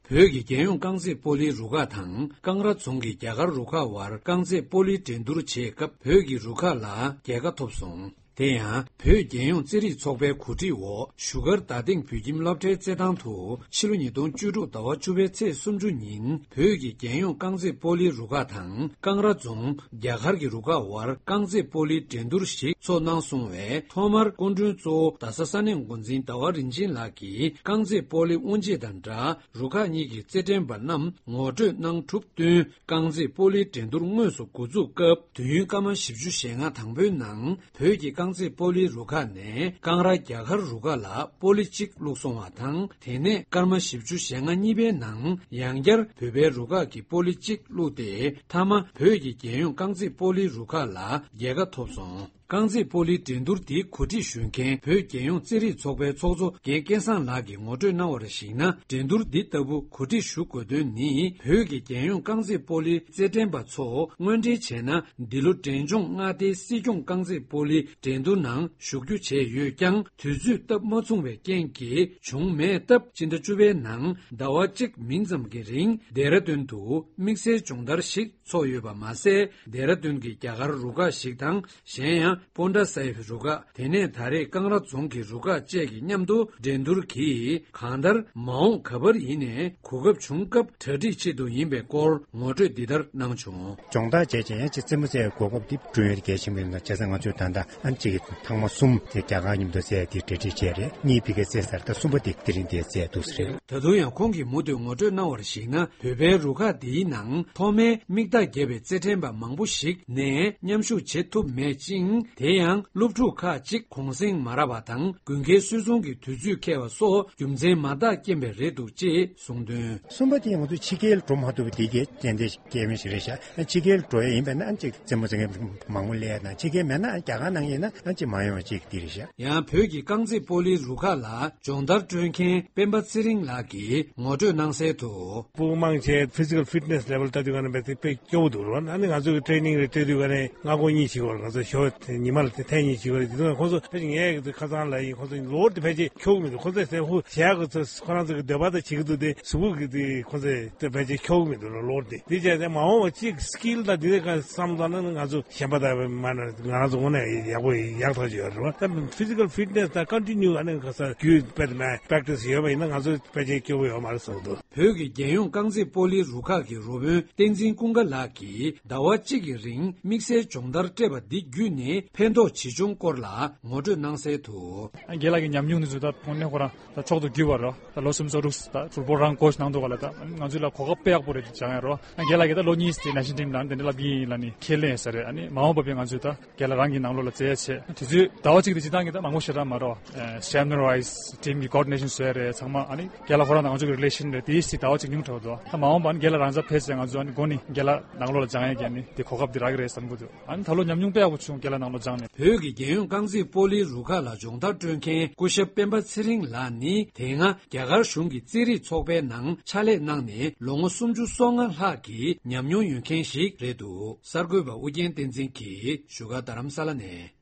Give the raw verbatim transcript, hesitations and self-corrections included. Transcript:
བོད་ཀྱི་རྒྱལ་ཡོངས་རྐང་རྩེད་སྤོ་ལོའི་རུ་ཁག་དང་ཀང་ར་རྫོང་གི་རྒྱ་གར་རུ་ཁག་དབར་རྐང་རྩེད་སྤོ་ལོའི་འགྲན་བསྡུར་བྱེད་སྐབས་བོད་ཀྱི་རུ་ཁག་ལ་རྒྱལ་ཁ་ཐོབ་སོང་། དེ་ཡང་བོད་རྒྱལ་ཡོངས་རྩེད་རིགས་ཚོགས་པའི་གོ་སྒྲིག་འོག་བཞུགས་སྒར་རྡ་སྟེང་བོད་ཁྱིམ་སློབ་གྲྭའི་རྩེད་ཐང་དུ་ཕྱི་ལོ་ཉིས་སྟོང་བཅུ་དྲུག་ཟླ་བ་བཅུ་པའི་ཚེས་སུམ་ཅུ་ཉིན་བོད་ཀྱི་རྒྱལ་ཡོངས་རྐང་རྩེད་སྤོ་ལོའི་རུ་ཁག་དང་ཀང་ར་རྫོང་རྒྱ་གར་གྱི་རུ་ཁག་དབར་རྐང་རྩེད་སྤོ་ལོའི་འགྲན་བསྡུར་ཞིག་ཚོགས་གནང་སོང་བས། ཐོག་མར་སྐུ་མགྲོན་གཙོ་བོ་རྡ་ས་ས་གནས་འགོ་འཛིན་ཟླ་བ་རིན་ཆེན་ལགས་ཀྱིས་རྐང་རྩེད་སྤོ་ལོའི་དབུ་འབྱེད་དང་སྦྲགས། རུ་ཁག་གཉིས་ཀྱི་རྩེད་འགྲན་པ་རྣམས་ངོ་སྤྲོད་གནང་གྲུབ་བསྟུན། རྐང་རྩེད་སྤོ་ལོའི་འགྲན་བསྡུར་དངོས་སུ་འགོ་འཛུགས་སྐབས། དུས་ཡུན་སྐར་མ་བཞི་བཅུ་ཞེ་ལྔ་དང་པོའི་ནང་བོད་ཀྱི་རྐང་རྩེད་སྤོ་ལོའི་རུ་ཁག་ནས་ཀང་ར་རྒྱ་གར་རུ་ཁག་ལ་སྤོ་ལོ་གཅིག་བླུགས་སོང་བ་དང་། དེ་ནས་སྐར་མ་བཞི་བཅུ་ཞེ་ལྔ་གཉིས་པའི་ནང་ཡང་བསྐྱར་བོད་པའི་རུ་ཁག་གིས་སྤོ་ལོ་གཅིག་བླུགས་ཏེ། མཐའ་མ་བོད་ཀྱི་རྒྱལ་ཡོངས་རྐང་རྩེད་སྤོ་ལོའི་རུ་ཁག་ལ་རྒྱལ་ཁ་ཐོབ་སོང་། རྐང་རྩེད་སྤོ་ལོའི་འགྲན་བསྡུར་འདི་གོ་སྒྲིག་ཞུ་མཁན་བོད་རྒྱལ་ཡོངས་རྩེད་རིགས་ཚོགས་པའི་ཚོགས་གཙོ་རྒན་སྐལ་བཟང་ལགས་ཀྱིས་ངོ་སྤྲོད་གནང་བར་གཞིགས་ན། འགྲན་བསྡུར་འདི་ལྟ་བུ་གོ་སྒྲིག་ཞུ་དགོས་དོན་ནི། བོད་ཀྱི་རྒྱལ་ཡོངས་རྐང་རྩེད་སྤོ་ལོའི་རྩེད་འགྲན་པ་ཚོ་དངོས་འབྲེལ་བྱས་ན། འདི་ལོ་འབྲས་ལྗོངས་མངའ་སྡེའི་སྲིད་སྐྱོང་རྐང་རྩེད་སྤོ་ལོའི་འགྲན་བསྡུར་ནང་ཞུགས་རྒྱུ་བྱས་ཡོད་ཀྱང་། དུས་ཚོད་སྟབས་མ་མཚུངས་པའི་རྐྱེན་གྱིས་བྱུང་མེད་སྟབས། སྤྱི་ཟླ་བཅུ་པའི་ནང་ཟླ་བ་གཅིག་མིན་ཙམ་གྱི་རིང་ལྡེ་ར་ལྡུན་དུ་དམིགས་བསལ་སྦྱོང་བརྡར་ཞིག་ཚོགས་ཡོད་པ་མ་ཟད། ལྡེ་ར་ལྡུན་གྱི་རྒྱ་གར་རུ་ཁག་ཞིག་དང་། གཞན་ཡང་པོན་ཏྲ་སཱ་ཧིབ་རུ་ཁག་དེ་ནས་ད་རེས་ཀང་ར་རྫོང་གི་རུ་ཁག་བཅས་ཀྱིས་མཉམ་དུ་འགྲན་བསྡུར་གྱིས། གང་ལྟར་མ་འོངས་ག་པར་ཡིན་ནའི་གོ་སྐབས་བྱུང་སྐབས་གྲ་སྒྲིག་ཆེད་དུ་ཡིན་པའི་སྐོར་ངོ་སྤྲོད་འདི་ལྟར་གནང་བྱུང་། སྦྱོང་བརྡར་བྱས་རྗེས་ཡང་ཅིག་རྩེད་མོ་རྩེ་གོ་སྐབས་འདི་བསྐྲུན་ཡོད་གལ་ཆེན་པོ་ཡིན་ན། བྱས་ཙང་ང་ཚོས་ད་ལྟ་ཨ་ཅིག་ཐེངས་མ་གསུམ་དེ་རྒྱ་གར་མཉམ་དུ་རྩེ་དེ་གྲ་སྒྲིག་བྱས་རེད། གཉིས་ཕ་གིར་རྩེ་ཚར། ད་གསུམ་པ་དེ་དེ་རིང་དེ་རྩེ་འདུག་ཟེར། ད་དུང་ཡང་ཁོང་གིས་མུ་མཐུད་ངོ་སྤྲོད་གནང་བར་གཞིགས་ན། བོད་པའི་རུ་ཁག་འདིའི་ནང་ཐོག་མའི་མིག་རྟགས་བརྒྱབ་པའི་རྩེད་འགྲན་པ་མང་པོ་ཞིག་ནས་མཉམ་ཞུགས་བྱེད་ཐུབ་མེད་ཅིང་། དེ་ཡང་སློབ་ཕྲུག་ཁག་ཅིག་གུང་སེང་མ་རག་པ་དང་། དགུན་ཁའི་སོལ་ཚོང་གི་དུས་ཚོད་འཁེལ་བ་སོགས་རྒྱུ་མཚན་མང་དག་རྐྱེན་པས་རེད་འདུག་ཅེས་གསུངས་དོན། གསུམ་པ་དེ་ང་ཚོ་ཕྱི་རྒྱལ་འགྲོ་མ་ཐུབ་པ་དེ་གའི་རྐྱེན་དེ་སྐྱེ་བ་ཞིག་རེད་ཤག་ཕྱི་རྒྱལ་འགྲོ་ཡ་ཡིན་པས་ན་ཅིག་རྩེད་མོ་རྩེ་མཁན་མང་པོ་སླེབས་ཡ་དང་། ཕྱི་རྒྱལ་མེད་ན་རྒྱ་གར་ནང་ཡིན་ན་ཅིག་མ་ཡོང་བ་ཅིག་དེ་རེད་ཤག་ཡང་བོད་ཀྱི་རྐང་རྩེད་སྤོ་ལོའི་རུ་ཁག་ལ་སྦྱོང་བརྡར་སྤྲོད་མཁན་སྤེན་པ་ཚེ་རིང་ལགས་ཀྱིས་ངོ་སྤྲོད་གནང་གསལ་དུ། སྤུ་གུ་མང་ཆེ་physical fitness level ལྟ་དུས་ག་ནས་དཔེ་དཔེ་སྐྱོ་བོ་འདུག་རོ། ཨ་ནི་ང་ཚོ་གི་training རེ་སྤྲད་དུས་ག་ནས་སྔ་དགོང་གཉིད་བྱེད་དགོས་རེད། ང་ཚོ་ཞོགས་ཉི་མ་ལ་ཐེངས་གཉིས་བྱེད་དགོས་རེད། དེ་དུས་ཁོང་ཚོ་ཕལ་ཆེར་ངས་ཁ་སང་ལ་ཡིན། ཁོང་ཚོ་གློ་བུར་དུ་ཕལ་ཆེར་འཁྱོག་གི་མི་འདུག་ཁོང་ཚོ་ཟེར་ཧུ་བྱས་གི་ཚོ་ཁོ་རང་ཚོ་གི་འདོད་པ་དང་བྱེད་ཀྱི་འདུག་སྟེ། གཟུགས་པོ་གི་དེ་ཁོང་ཚོས་དེ་ཕལ་ཆེར་འཁྱོག་གི་མི་འདུག་ལོ། གློ་བུར་དེ་དེ་བྱས་ཏེ་མ་འོངས་པ་གཅིག་skill དང་དེ་འདྲ་ག་བསམ་བློ་ན་ང་ཚོ་གཞན་པ་དང་མ་ན་ང་རང་ཚོ་དངོས་གནས་ཡག་པོ་ཡག་ཐག་ཆོད་ཡོད་རེད་བ། ད་physical fitness དང་continue ཨ་ནི་ཁ་སང་རྒྱུན་སྤེལ་མ་practice ཡོད་པ་ཡིན་ན་ང་ཚོ་ཕལ་ཆེར་སྐྱོ་བོ་ཡོད་མ་རེད་བསམ་འདུག་བོད་ཀྱི་རྒྱལ་ཡོངས་རྐང་རྩེད་སྤོ་ལོའི་རུ་ཁག་གི་རོགས་དཔོན་བསྟན་འཛིན་ཀུན་དགའ་ལགས་ཀྱིས་ཟླ་བ་གཅིག་གི་རིང་དམིགས་བསལ་སྦྱོང་བརྡར་སྤྲད་པ་འདི་བརྒྱུད་ནས་ཕན་ཐོགས་ཇི་བྱུང་སྐོར་ལ་ངོ་སྤྲོད་གནང་གསལ་དུ། རྒན་ལགས་ཀྱི་ཉམས་མྱོང་འདི་ཚོ་ད་དངོས་གནས་ཁོ་རང་ད་མཆོག་ཏུ་གྱུར་པ་རེད། ད་ལོ་སུམ་ཅུ་སོ་དྲུག་ད་ཕུལ་པོ་རང་coach གནང་འདུག་ག་ལ། ད་ང་ཚོ་ལ་གོ་སྐབས་དཔེ་ཡག་པོ་རེད་ཅེས་ཡང་རོ། རྒན་ལགས་ཀྱིས་ད་ལོ་གཉིས་ཙམ་national team ནང་དེ་འདྲ་ལབ་ཀྱི་ཡིན་ལབ་ནས་ཁས་ལེན་ཡོད་ས་རེད། ཨ་ནི་མ་འོངས་པ་བས་ང་ཚོས་ད་རྒན་ལགས་རང་གི་ནང་ལོགས་ལ་རྩེ་ཡ་བྱས། དུས་ཚོད་ཟླ་བ་གཅིག་དེ་སྤྱིར་བཏང་གི་ད་མང་པོ་ཞེ་དྲག་མ་རེད། ཨ་seminar wise team གི་coordination བཟོ་ཡ་རེད། ཚང་མ་ཨ་ནི་རྒན་ལགས་ཁོ་རང་དང་ང་ཚོ་གི་relation རེད། དེ་ཡིས་ཟླ་བ་གཅིག་ཉུང་དྲགས་འདུག་ད་མ་འོངས་པ་ཨ་ནི་རྒན་ལགས་རང་ཚ་ཕེབས་ཚེ་ང་ཚོ་ཨ་ནི་འགོ་ནས་རྒན་ལགས་ནང་ལོགས་ལ་སྦྱང་ཡ་གི་ཨ་ནི་དེ་གོ་སྐབས་དེ་རག་གི་རེད་བསམ་གི་འདུག་ཨ་ནི་ད་ལོ་ཉམས་མྱོང་དཔེ་ཡག་པོ་བྱུང་། རྒན་ལགས་ནང་ལོགས་སྦྱངས་ནས། བོད་ཀྱི་རྒྱལ་ཡོངས་རྐང་རྩེད་སྤོ་ལོའི་རུ་ཁག་ལ་སྦྱོང་བརྡར་སྤྲོད་མཁན་སྐུ་ཞབས་སྤེན་པ་ཚེ་རིང་ལགས་ནི་དེ་སྔ་རྒྱ་གར་གཞུང་གི་རྩེད་རིགས་ཚོགས་པའི་ནང་ཕྱག་ལས་གནང་ནས་ལོ་ངོ་སུམ་ཅུ་སོ་ལྔ་ལྷག་གི་ཉམས་མྱོང་ཡོད་མཁན་ཞིག་རེད་འདུག་གསར་འགོད་པ་ཨུ་རྒྱན་བསྟན་འཛིན་གྱིས་བཞུགས་སྒར་རྡ་རམ་ས་ལ་ནས།